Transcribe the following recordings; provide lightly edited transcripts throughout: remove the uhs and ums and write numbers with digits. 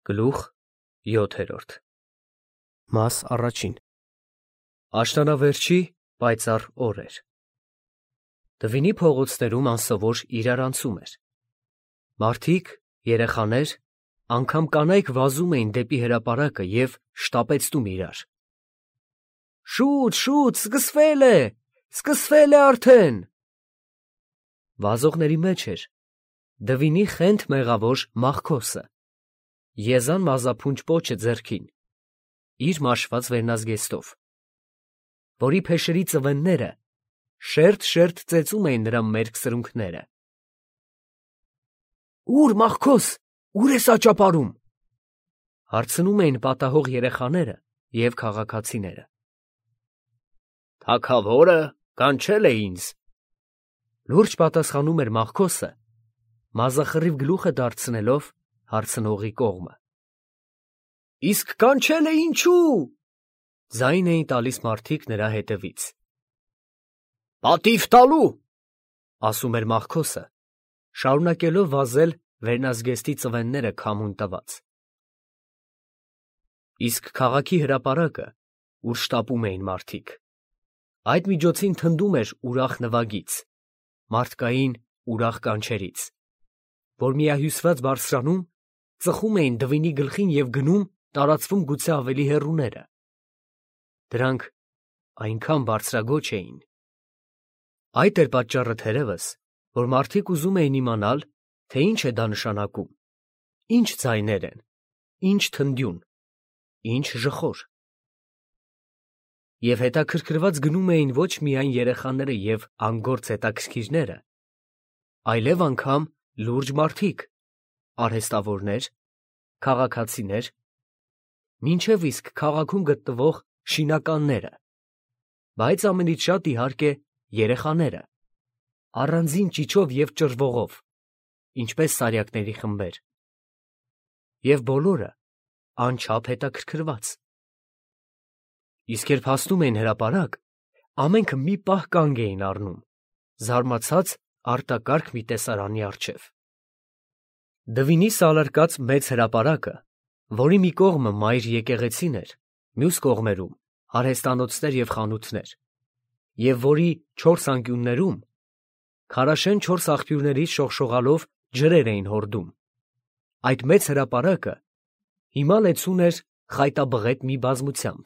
Գլուխ 7 Մաս առաջին Աշնանավերջի պայծառ օր էր։ Դվինի փողոցներում անսովոր իրարանցում էր։ Մարդիկ, երեխաներ, անգամ կանայք վազում էին դեպի հրապարակը և շտապեցնում իրար։ Շուտ, շուտ, սկսվել է արդեն։ Վազողների մեջ էր Դվինի խենթ մեղավոր Մախքոսը, եզան մազափունչ պոչը ձեռքին, իր մաշված վերնազգեստով, որի փեշերի ծվենները շերտ ծեծում էին նրա մերկ սրունքները։ Ո՞ւր, Մախքոս, ո՞ւր ես աճապարում, հարցնում էին պատահող երեխաները և քաղաքացիները։ Թագավորը կանչել է ինձ, լուրջ պատասխանում էր Մախքոսը, մազախռիվ գլուխը դարձնելով հարցնողի կողմը։ Իսկ կանչել է ինչու՞, ձայն էին տալիս մարդիկ նրա հետևից։ Պատիվ տալու, ասում էր Մախքոսը, շարունակելով վազել վերնազգեստի ծվենները քամուն տված։ Իսկ քաղաքի հրապարակը, ուր շտապում էին մարդիկ, այդ միջոցին թնդում էր ուրախ նվագից, մարդկային ուրախ կանչերից, որ միահյուսված բարձրանում, ծխում էին Դվինի գլխին և գնում, տարածվում գուցե ավելի հեռուները։ Դրանք այնքան բարձրագոչ էին։ Այդ էր պատճառը թերևս, որ մարդիկ ուզում էին իմանալ, թե ինչ է դա նշանակում, ինչ ձայներ են, ինչ թնդյուն, ինչ ժխոր։ Եվ հետաքրքրված գնում էին ոչ միայն երեխաները և անգործ հետաքրքիրները, այլև անգամ լուրջ մարդիկ, արհեստավորներ, քաղաքացիներ, մինչև իսկ քաղաքում գտնվող շինականները, բայց ամենից շատ, իհարկե, երեխաները, առանձին ճիչով և ճռվողով, ինչպես սարյակների խմբեր, և բոլորը անչափ հետաքրքրված։ Իսկ երբ հասնում էին հրապարակ, ամենքը մի պահ կանգ էին առնում, զարմացած արտակարգ մի տեսարանի առջև։ Դվինի սալարկած մեծ հրապարակը, որի մի կողմը մայր եկեղեցին էր, մյուս կողմերում արհեստանոցներ և խանութներ, և որի չորս անկյուններում քարաշեն չորս աղբյուրներից շողշողալով ջրեր էին հորդում, այդ մեծ հրապարակը հիմա լեցուն էր խայտաբղետ մի բազմությամբ,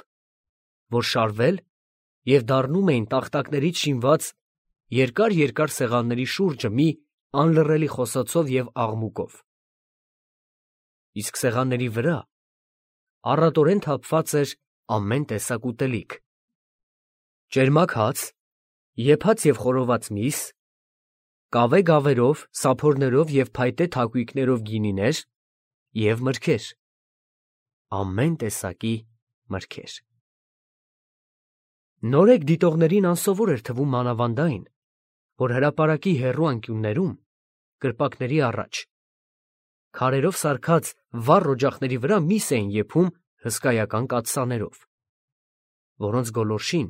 որ շարվել և դառնում էին տախտակներից շինված երկար սեղանների շուրջը մի անլռելի խոսոցով և աղմուկով։ Իսկ սեղանների վրա առատորեն թափված էր ամեն տեսակ ուտելիք. ճերմակ հաց, եփած և խորոված միս, կավե գավերով, սափորներով և փայտե թակույկներով գինիներ և մրգեր, ամեն տեսակի մրգեր։ Նորեկ դիտողներին անսովոր էր թվում մանավանդ այն, որ հրապարակի հեռու անկյուններում, կրպակների առաջ, քարերով սարքած վառ օջախների վրա միս էին եփում հսկայական կաթսաներով, որոնց գոլորշին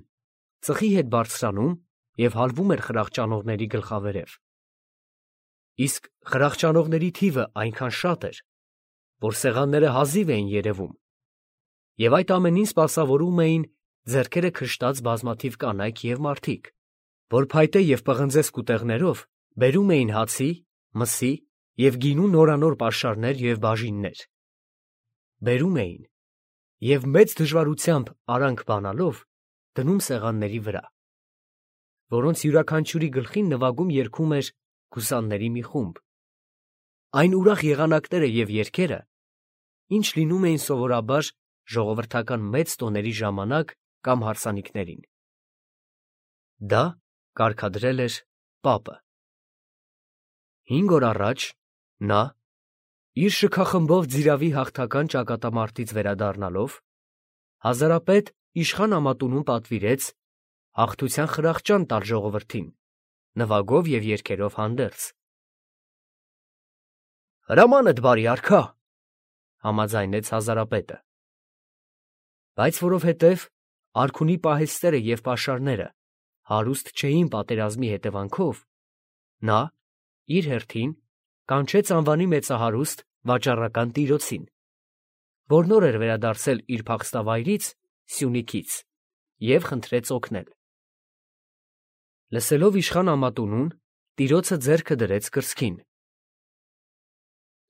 ծխի հետ բարձրանում և հալվում էր խրախճանողների գլխավերև։ Իսկ խրախճանողների թիվը այնքան շատ էր, որ սեղանները հազիվ էին երևում, և այդ ամենին սպասավորում էին ձեռքերը քշտած բազմաթիվ կանայք և մարդիկ, որ փայտե և պղնձե սկուտեղներով բերում էին հացի, մսի և գինու նորանոր պաշարներ և բաժիններ, բերում էին և մեծ դժվարությամբ արանք բանալով դնում սեղանների վրա, որոնց յուրաքանչյուրի գլխին նվագում երգում էր գուսանների մի խումբ, այն ուրախ եղանակները և երգերը, ինչ լինում էին սովորաբար ժողովրդական մեծ տոների ժամանակ կամ հարսանիքներին։ Դա կարգադրել էր պապը։ 5 օր առաջ նա, իր շքախմբով Ձիրավի հաղթական ճակատամարտից վերադառնալով, հազարապետ իշխան ամատունում պատվիրեց հաղթության խրախճան տալ ժողովրդին, նվագով և երգերով հանդերձ։ Հրամանդ բարի արքա, համաձայնեց հազարապետը, բայց որովհետև արքունի պահեստները և պաշարները հարուստ չէին պատերազմի հետևանքով, նա, իր հերթին, կանչեց անվանի մեծահարուստ վաճառական տիրոցին, որ նոր էր վերադարձել իր փախստավայրից, Սյունիքից, և խնդրեց օգնել։ Լսելով իշխան Ամատունուն, տիրոցը ձեռքը դրեց կրծքին։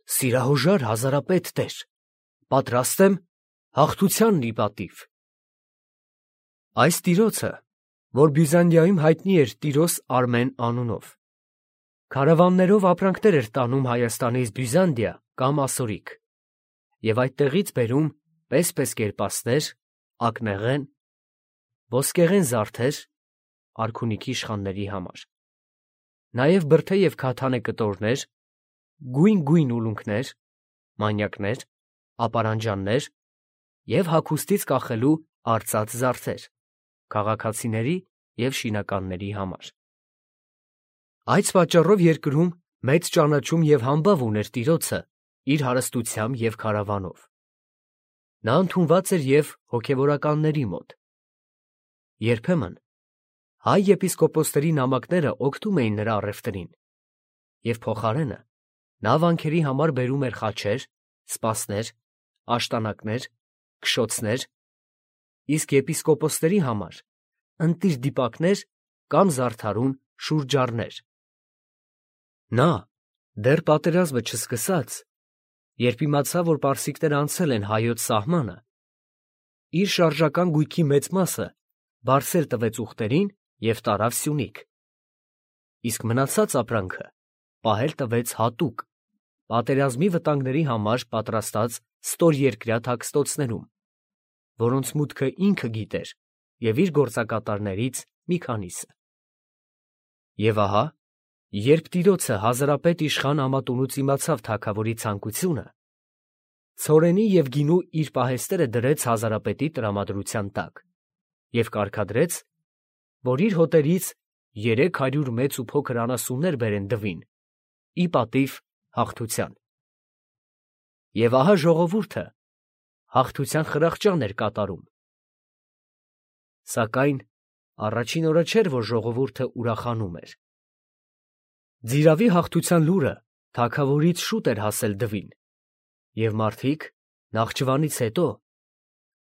Սիրահոժար հազարապետ տեր, պատրաստ եմ հաղթությանն ի պատիվ։ Այս տիրոցը, որ Բյուզանդիայում հայտնի էր Տիրոս Արմեն անունով, քարավաններով ապրանքներ էր տանում Հայաստանից Բյուզանդիա կամ Ասորիկ, և այդտեղից բերում պես կերպասներ, ակնեղեն, ոսկեղեն զարդեր արքունիքի իշխանների համար, նաև բրդե և քաթանե կտորներ, գույն ուլունքներ, մանյակներ, ապարանջաններ և հագուստից կախելու արծաթ զարդեր, քաղաքացիների և շինականների համար։ Այս պատճառով երկրում մեծ ճանաչում և համբավ ուներ տիրոցը իր հարստությամբ և քարավանով։ Նա ընդունված էր և հոգևորականների մոտ։ Երբեմն հայ եպիսկոպոսների նամակները օգնում էին նրա առևտրին, և փոխարենը նա վանքերի համար բերում էր խաչեր, սպասներ, աշտանակներ, քշոցներ, իսկ եպիսկոպոսների համար ընտիր դիպակներ կամ զարդարուն շուրջառներ։ Նա, դեռ պատերազմը չսկսած, երբ իմացավ, որ պարսիկները անցել են հայոց սահմանը, իր շարժական գույքի մեծ մասը բարսել տվեց ուղտերին և տարավ Սյունիք, իսկ մնացած ապրանքը պահել տվեց հատուկ, պատերազմի վտանգների համար պատրաստած ստորերկրյա թաքստոցներում, որոնց մուտքը ինքը գիտեր և իր գործակատարներից մի քանիսը։ Եվ ահա, երբ տիրոցը հազարապետ իշխան Ամատունուց իմացավ թագավորի ցանկությունը, ցորենի և գինու իր պահեստերը դրեց հազարապետի տրամադրության տակ և կարգադրեց, որ իր հոտերից 300 մեծ ու փոքր անասուններ բերեն դվին, ի պատիվ հաղթության։ Եվ ահա ժողովուրդը հաղթության խրախճան էր կատարում։ Սակայն առաջին օրը չէր, որ ժողովուրդը ուրախանում էր։ Ձիրավի հաղթության լուրը թագավորից շուտ էր հասել դվին, և մարդիկ Նախճիվանից հետո,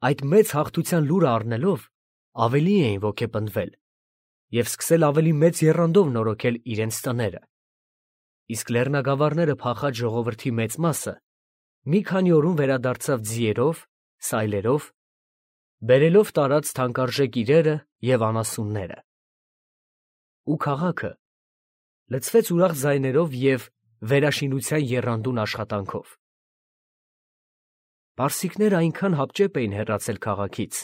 այդ մեծ հաղթության լուրը առնելով, ավելի էին ոգեպնդվել և սկսել ավելի մեծ եռանդով նորոգել իրենց տները, իսկ լեռնագավառները փախած ժողովրդի մեծ մասը մի քանի օրում վերադարձավ ձիերով, սայլերով, բերելով տարած թանկարժեք իրերը և անասունները։ Ու քաղաքը լցվեց ուրախ ձայներով և վերաշինության եռանդուն աշխատանքով։ Պարսիկները այնքան հապճեպ էին հեռացել քաղաքից,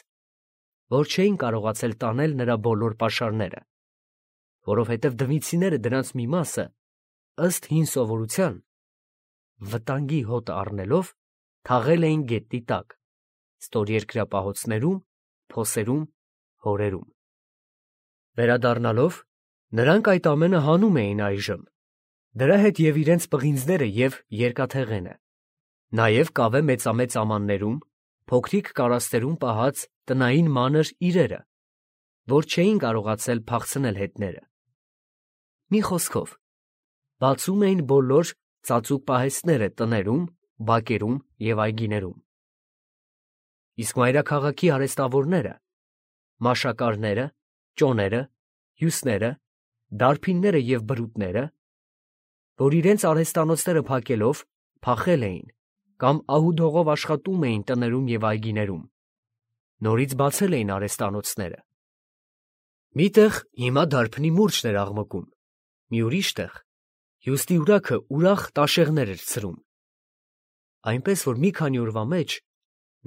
որ չէին կարողացել տանել նրա բոլոր պաշարները, որովհետև դվինցիները դրանց մի մասը, ըստ հին սովորության, վտանգի հոտ առնելով, թաղել էին գետնի տակ, ստորերկրյա պահոցներում, փոսերում, հորերում։ Վերադառնալով, նրանք այդ ամենը հանում էին այժմ, դրա հետ և իրենց պղինձները և երկաթեղենը, նաև կավե մեծամեծ ամաններում, փոքրիկ կարաստերում պահած տնային մանր իրերը, որ չէին կարողացել փախցնել հետները։ Մի խոսքով, բացում էին բոլոր ծածուկ պահեստները տներում, բակերում և այգիներում։ Իսկ մայրաքաղաքի արհեստավորները, մաշակարները, ճոները, հյուսները, դարբինները և բրուտները, որ իրենց արհեստանոցները փակելով փախել էին կամ ահուդհողով աշխատում էին տներում և այգիներում, նորից բացել էին արհեստանոցները։ Մի տեղ հիմա դարբնի մուրճն էր աղմկում, մի ուրիշ տեղ հյուստի ուրաքը ուրախ տաշեղներ էր ցրում, այնպես որ մի քանի օրվա մեջ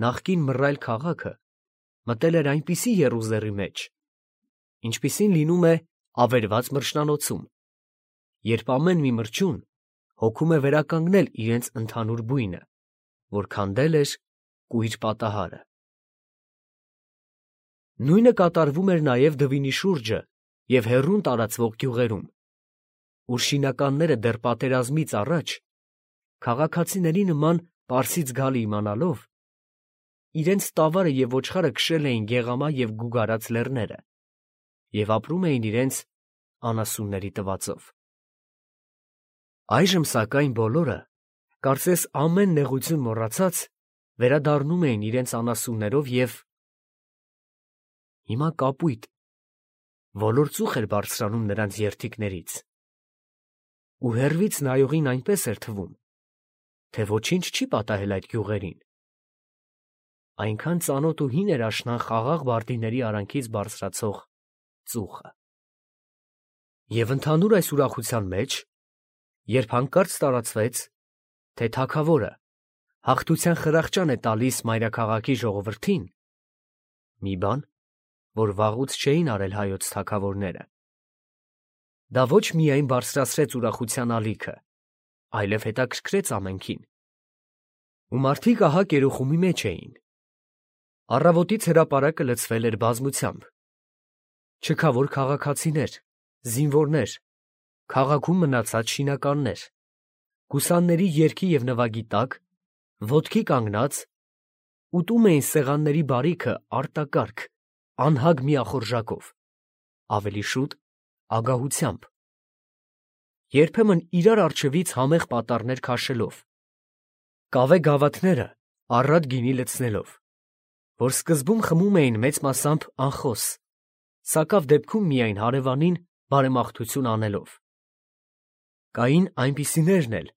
նախկին մռայլ քաղաքը մտել էր այնպիսի եռուզեռի մեջ, ինչպիսին լինում է ավերված մրջնանոցում, երբ ամեն մի մրջյուն հոգում է վերականգնել իրենց ընդհանուր բույնը, որ քանդել էր կույր պատահարը։ Նույնը կատարվում էր նաև դվինի շուրջը և հեռուն տարածվող գյուղերում, ուր շինականները դեռ պատերազմից առաջ, քաղաքացիների նման Պարսից գալը իմանալով, իրենց տավարը և ոչխարը քշել էին գեղամա և գուգարած լեռները և ապրում էին իրենց անասունների տվածով։ Այժմ, սակայն, բոլորը, կարծես ամեն նեղություն մոռացած, վերադառնում էին իրենց անասուններով և հիմա կապույտ, ոլոր ծուխ էր բարձրանում նրանց երդիքներից, ու հեռվից նայողին այնպես էր թվում, թե ոչինչ չի պատահել այդ գյուղերին. այնքան ծանոթ ու հին էր աշնան խաղաղ բարդիների արանքից բարձրացող ծուխը։ Եվ ընդհանուր այս ուրախության մեջ, երբ հանկարծ տարածվեց, թե թագավորը հաղթության խրախճան է տալիս մայրաքաղաքի ժողովրդին, մի բան, որ վաղուց չէին արել հայոց թագավորները, դա ոչ միայն բարձրացրեց ուրախության ալիքը, այլև հետաքրքրեց ամենքին, ու մարդիկ ահա կերոխումի մեջ էին։ Առավոտից հրապարակը լցվել էր բազմությամբ. չքավոր քաղաքացիներ, զինվորներ, քաղաքում մնացած շինականներ, գուսանների երգի և նվագի տակ, ոտքի կանգնած, ուտում էին սեղանների բարիքը արտակարգ, անհագ միախորժակով, ավելի շուտ ագահությամբ, երբեմն իրար առջևից համեղ պատառներ քաշելով, կավե գավաթները առատ գինի լցնելով, որ սկզբում խմում էին մեծ մասամբ անխոս, սակավ դեպքում միայն հարևանին բարեմաղթություն անելով։ Կային այնպիսիներն էլ,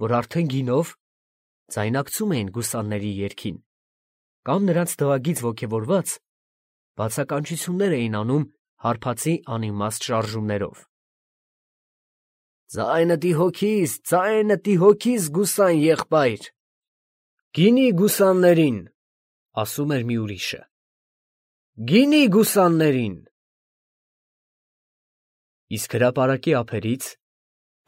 որ արդեն գինով ձայնակցում էին գուսանների երգին, կամ նրանց դվագից ոգևորված բացականչություններ էին անում հարբածի անիմաստ շարժումներով։ Ձայնը տի հոգիս գուսան եղբայր, գինի գուսաններին, ասում էր մի ուրիշը, գինի գուսաններին։ Իսկ հրապարակի ափերից,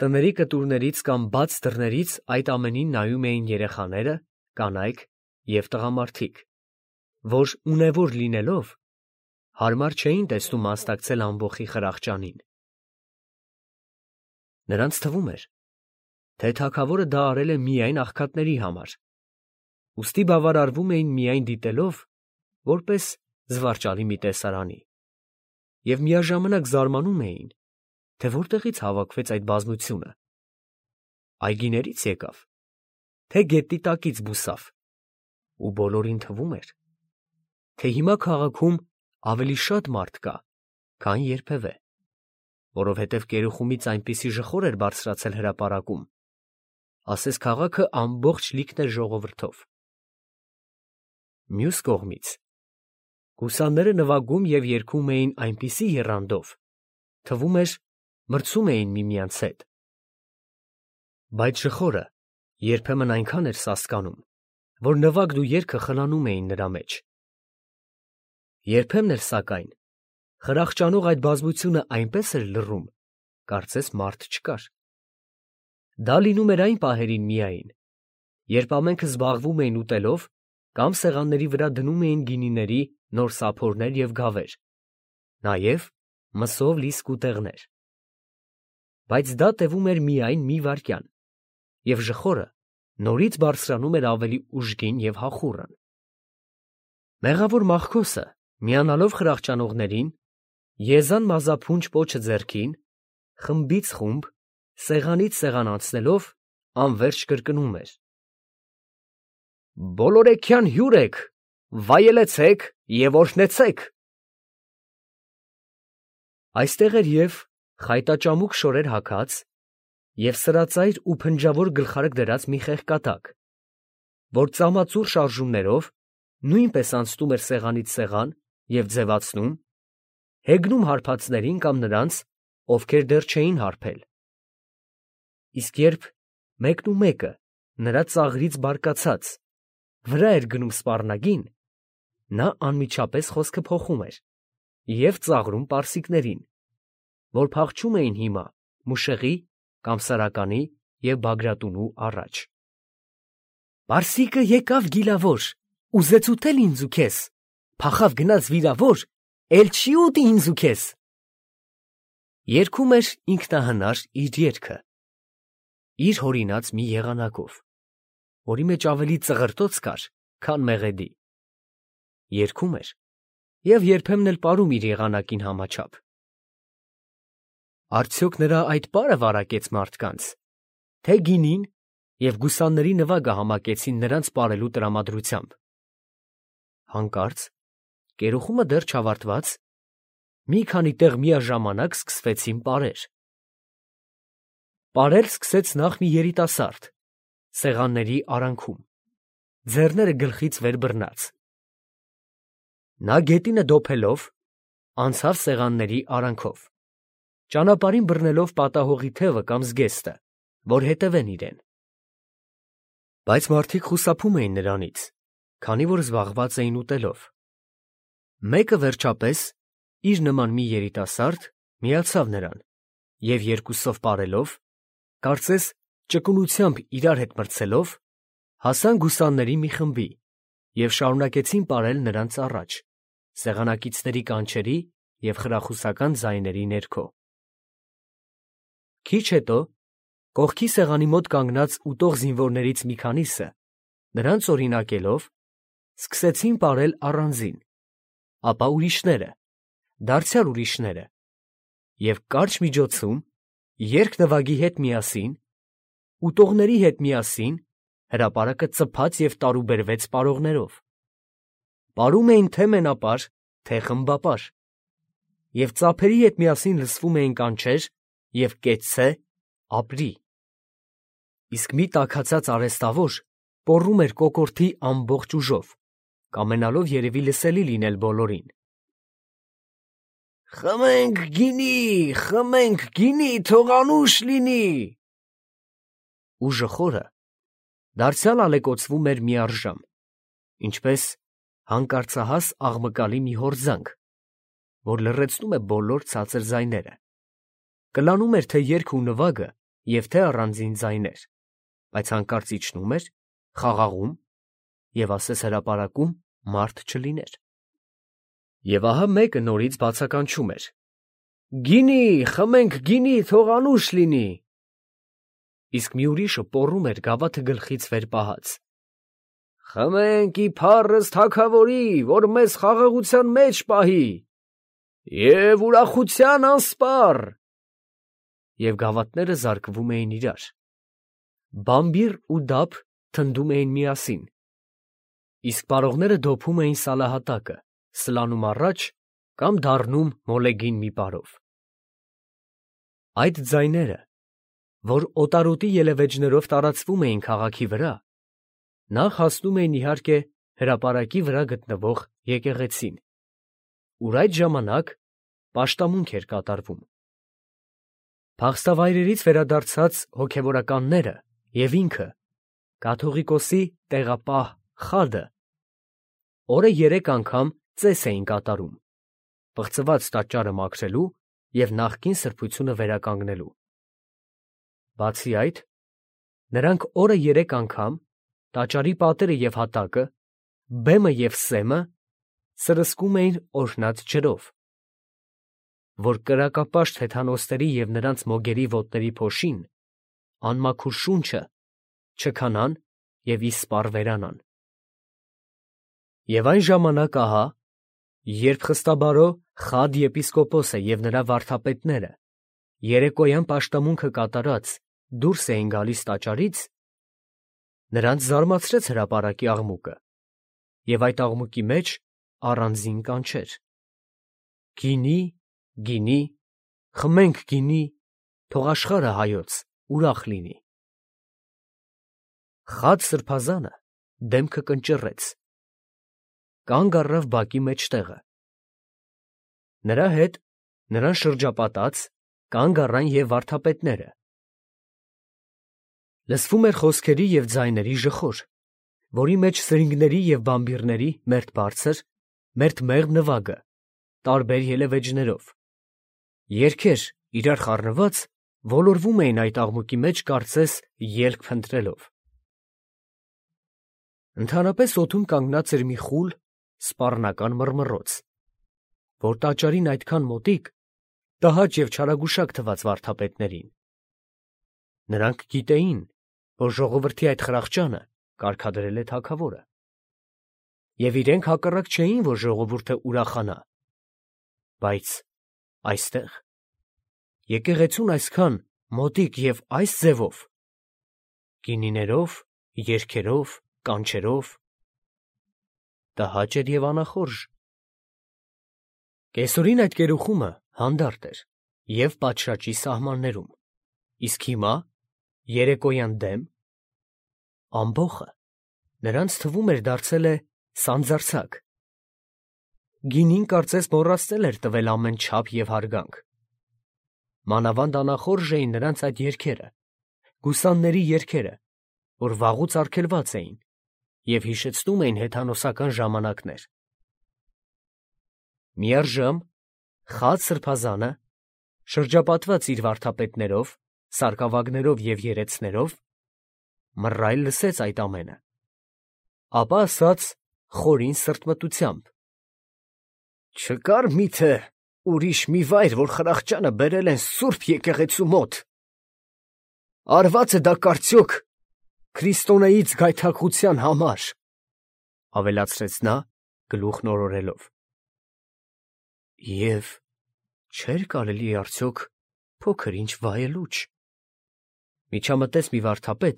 տների կտուրներից կամ բաց դռներից այդ ամենին նայում էին երեխաները, կանայք և տղամարդիկ, որ ունևոր լինելով, հարմար չէին տեսնում մասնակցել ամբոխի խրախճանին։ Նրանց թվում էր, թե թագավորը դա արել է միայն աղքատների համար, ուստի բավարարվում էին միայն դիտելով, որպես զվարճալի մի տեսարանի, և միաժամանակ զարմանում էին, թե որտեղից հավաքվեց այդ բազմությունը. այգիներից եկավ, թե գետնի տակից բուսավ, ու բոլորին թվում էր, թե հիմա քաղաքում ավելի շատ մարդ կա, քան երբևէ, որովհետև կերուխումից այնպիսի ժխոր էր բարձրացել հրապարակում, ասես քաղաքը ամբողջ լիքն էր ժողովրդով։ Մյուս կողմից, գուսանները նվագում և երգում էին այնպիսի եռանդով, թվում էր, մրցում էին միմյանց հետ։ Բայց ժխորը երբեմն այնքան էր սասկանում, որ նվագն ու երգը խլանում էին նրա մեջ։ Երբեմն էլ, սակայն, խրախճանող այդ բազմությունը այնպես էր լռում, կարծես մարդ չկար։ Դա լինում էր այն պահերին միայն, երբ ամենքը զբաղվում էին ուտելով կամ սեղանների վրա դնում էին գինիների նոր սափորներ և գավեր, նաև մսով լի սկուտեղներ։ Բայց դա տևում էր միայն մի վայրկյան, և ժխորը նորից բարձրանում էր ավելի ուժգին և հախուռն։ Մեղավոր Մախքոսը, միանալով խրախճանողներին, եզան մազափունչ պոչը ձեռքին, խմբից խումբ, սեղանից սեղան անցնելով, անվերջ կրկնում էր. «Բոլորեքյան հյուր եք, վայելեցեք և օրհնեցեք»։ Այստեղ էր և խայտաճամուկ շորեր հագած, և սրածայր ու փնջավոր գլխարկ դրած մի խեղկատակ, որ ծամածուռ շարժումներով նույնպես անցնում էր սեղանից սեղան և ձևացնում, հեգնում հարբածներին կամ նրանց, ովքեր դեռ չէին հարբել։ Իսկ երբ մեկնումեկը նրա ծաղրից բարկացած վրա էր գնում սպառնագին, նա անմիջապես խոսքը փոխում էր և ծաղրում պարսիկներին, որ փախչում էին հիմա մուշեղի կամ Սարականի և Բագրատունու առաջ։ «Պարսիկը եկավ գիլավոր, ուզեց ուտել ինձ ու քեզ, փախավ գնաց վիրավոր, էլ չի ուտի ինձ ու քեզ»։ Երգում էր ինքնահնար իր երգը, իր հորինած մի եղանակով, որի մեջ ավելի ծղրտոց կար, քան մեղեդի։ Երգում էր և երբեմն էլ պարում իր եղանակին համաչափ։ Արդյոք նրա այդ պարը վարակեց մարդկանց, թե գինին և գուսանների նվագը համակեցին նրանց պարելու տրամադրությամբ։ Հանկարծ, կերուխումը դեռ չավարտված, մի քանի տեղ միաժամանակ սկսվեցին պարեր։ Պարել սկսեց նախ մի երիտասարդ, սեղանների արանքում, ձեռները գլխից վեր բռնած։ Նա գետինը դոփելով, անցավ սեղանների արանքով, ճանապարհին բռնելով պատահողի թևը կամ զգեստը, որ հետևեն իրեն։ Բայց մարդիկ խուսափում էին նրանից, քանի որ զբաղված էին ուտելով։ Մեկը վերջապես, իր նման մի երիտասարդ, միացավ նրան, և երկուսով պարելով, կարծես ճկունությամբ իրար հետ մրցելով, հասան գուսանների մի խմբի և շարունակեցին պարել նրանց առաջ, սեղանակիցների կանչերի և խրախուսական ձայների ներքո։ Քիչ հետո, կողքի սեղանի մոտ կանգնած ուտող զինվորներից մի քանիսը, նրանց օրինակելով, սկսեցին պարել առանձին, ապա ուրիշները, դարձյալ ուրիշները, և կարճ միջոցում, երգ-նվագի հետ միասին, ուտողների հետ միասին, հրապարակը ծփաց և տարուբերվեց պարողներով։ Պարում էին թե մենապար, թե խմբապար, և ծափերի հետ միասին լսվում էին կանչեր և «կեցցե», «ապրի»։ Իսկ մի տաքացած արհեստավոր պոռում էր կոկորդի ամբողջ ուժով, կամենալով երևի լսելի լինել բոլորին. «Խմենք գինի, թող անուշ լինի»։ Ուժը խորը, դարձյալ ալեկոծվում էր միառժամ, ինչպես հանկարծահաս աղմկալի մի հորձանք, որ լռեցնում է բոլոր ցածր ձայները, կլանում էր թե երգը ու նվագը և թե առանձին ձայներ, բայց հանկարծ իջնում էր, խաղաղում և ասես հրապարակում մարդ չլիներ։ Եվ ահա մեկը նորից բացականչում էր. «Գինի, խմենք գինի, թող անուշ լինի»։ Իսկ մի ուրիշը պոռում էր գավաթը գլխից վեր պահած. «Խմենք ի փառս թագավորի, որ մեզ խաղաղության մեջ պահի և ուրախության անսպառ»։ Եվ գավաթները զարկվում էին իրար, բամբիռ ու դափ թնդում էին միասին, իսկ պարողները դոփում էին սալահատակը, սլանում առաջ կամ դառնում մոլեգին մի պարով։ Այդ ձայները, որ օտարոտի ելևէջներով տարածվում էին քաղաքի վրա, նախ հասնում էին իհարկե հրապարակի վրա գտնվող եկեղեցին, ուր այդ ժամանակ պաշտամունք էր կատարվում։ Փախստավայրերից վերադարձած հոգևորականները և ինքը, կաթողիկոսի տեղապահ Խադը, օրը 3 անգամ ծես էին կատարում, պղծված տաճարը մաքրելու և նախկին սրբությունը վերականգնելու։ Բացի այդ, նրանք օրը 3 անգամ տաճարի պատերը և հատակը, բեմը և սեմը սրսկում էին օրհնած ջրով, որ կրակապաշտ հեթանոսների և նրանց մոգերի ոտների փոշին, անմաքուր շունչը չքանան և իսպառ վերանան։ Եվ այն ժամանակ ահա, երբ խստաբարո Խադ եպիսկոպոսը և նրա վարդապետները երեկոյան պաշտամունքը կատարած դուրս էին գալիս տաճարից, նրանց զարմացրեց հրապարակի աղմուկը և այդ աղմուկի մեջ առանձին կանչեր. «Գինի, գինի, խմենք գինի, թող աշխարհը հայոց ուրախ լինի»։ Խադ սրբազանը դեմքը կնճռեց, կանգ առավ բակի մեջտեղը։ Նրա հետ, նրան շրջապատած, կանգ առան և վարդապետները։ Լսվում էր խոսքերի և ձայների ժխոր, որի մեջ սրինգների և բամբիռների մերթ բարձր, մերթ մեղմ նվագը, տարբեր ելևէջներով, երգեր իրար խառնված ոլորվում էին այդ աղմուկի մեջ կարծես ելք փնտրելով։ Ընդհանրապես օդում կանգնած էր մի խուլ, սպառնական մռմռոց, որ տաճարին այդքան մոտիկ տհաճ և չարագուշակ թվաց վարդապետներին։ Նրանք գիտեին, որ ժողովրդի այդ խրախճանը կարգադրել է թագավորը, և իրենք հակառակ չէին, որ ժողովուրդը ուրախանա, բայց այստեղ, եկեղեցուն այսքան մոտիկ և այս ձևով, գինիներով, երգերով, կանչերով։ Տհաճ էր և անախորժ։ Կեսօրին այդ գերուխումը հանդարտ էր և պատշաճի սահմաններում, իսկ հիմա երեկոյան դեմ ամբոխը նրանց թվում էր դարձել է սանձարձակ։ Գինին կարծես մոռացել էր տվել ամեն չափ և հարգանք։ Մանավանդ անախորժ էին նրանց այդ երգերը, գուսանների երգերը, որ վաղուց արգելված էին և հիշեցնում էին հեթանոսական ժամանակներ։ Միառժամ խաց սրբազանը, շրջապատված իր վարդապետներով, սարկավագներով և երեցներով, մռայլ լսեց այդ ամենը, ապա ասաց խորին սրտմտությամբ. «Չկա՞ր միթե ուրիշ մի վայր, որ խրախճանը բերել են սուրբ եկեղեցու մոտ. արված է դա կարծյոք քրիստոնեից գայթակղության համար», ավելացրեց նա գլուխն օրորելով։ «Եվ չէր կարելի արդյոք փոքր-ինչ վայելուչ», միջամտեց մի վարդապետ,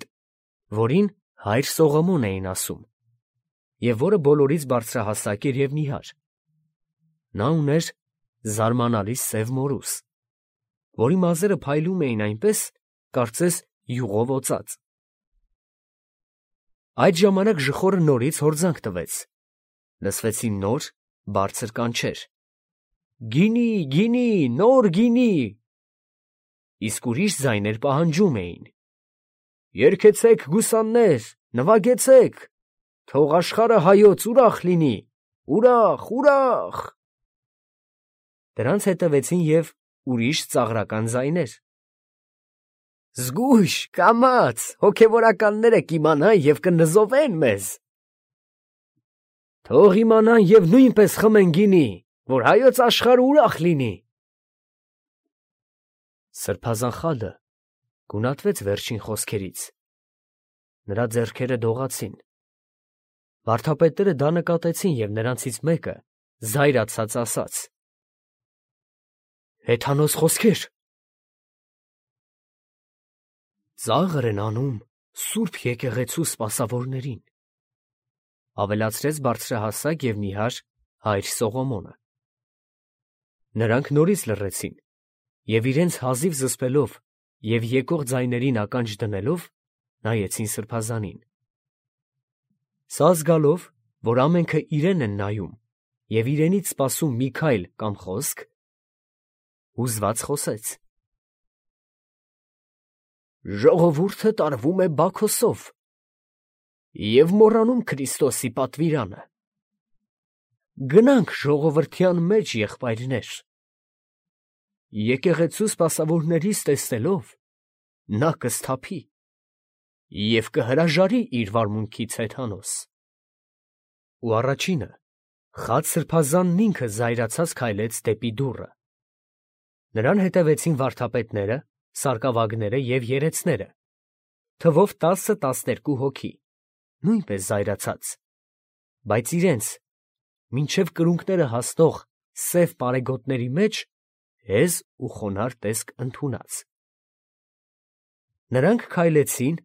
որին հայր Սողոմոն էին ասում, և որը բոլորից բարձրահասակ էր և նիհար։ Նա ուներ զարմանալի սև մորուս, որի մազերը փայլում էին այնպես, կարծես յուղով օծած։ Այդ ժամանակ ժխորը նորից հորձանք տվեց, լսվեցին նոր, բարձր կանչեր. «Գինի, գինի, նոր գինի», իսկ ուրիշ ձայներ պահանջում էին. «Երգեցեք, գուսաններ, նվագեցեք, թող աշխարհը հայոց ուրախ լինի, ուրախ, ուրախ»։ Դրանց հետևեցին և ուրիշ ծաղրական ձայներ. «Զգույշ, կամաց, հոգևորականները կիմանան և կնզովեն մեզ»։ «Թող իմանան և նույնպես խմեն գինի, որ հայոց աշխարհը ուրախ լինի»։ Սրբազան խալը գունատվեց վերջին խոսքերից։ Նրա ձեռքերը դողացին։ Վարդապետները դա նկատեցին և նրանցից մեկը զայրացած ասաց. «Հեթանոս խոսքեր»։ «Ծաղր են անում սուրբ եկեղեցու սպասավորներին», ավելացրեց բարձրահասակ և նիհար հայր Սողոմոնը։ Նրանք նորից լռեցին և իրենց հազիվ զսպելով և եկող ձայներին ականջ դնելով նայեցին սրբազանին։ Սա զգալով, որ ամենքը իրեն են նայում և իրենից սպասում մի քայլ կամ խոսք, հուզված խոսեց. «Ժողովուրդը տարվում է Բաքոսով և մոռանում Քրիստոսի պատվիրանը։ Գնանք ժողովրդյան մեջ, եղբայրներ։ Եկեղեցու սպասավորներիս տեսնելով, նա կսթափի և կհրաժարի իր վարմունքից հեթանոս»։ Ու առաջինը, խաց սրբազանն ինքը զայրացած քայլեց դեպի դուռը։ Նրան հետևեցին վարդապետները, սարկավագները և երեցները, թվով 10-12 հոգի, նույնպես զայրացած, բայց իրենց մինչև կրունկները հասնող սև պարեգոտների մեջ հեզ ու խոնարհ տեսք ընդունած։ Նրանք քայլեցին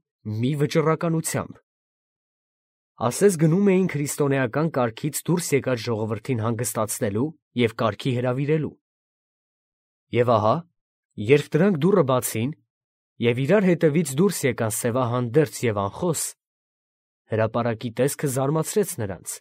մի վճռականությամբ, ասես գնում էին քրիստոնեական կարգից դուրս եկած ժողովրդին հանգստացնելու և կարգի հրավիրելու։ Եվ ահա, երբ դրանք դուռը բացին և իրար հետևից դուրս եկան սևահանդերձ և անխոս, հրապարակի տեսքը զարմացրեց նրանց։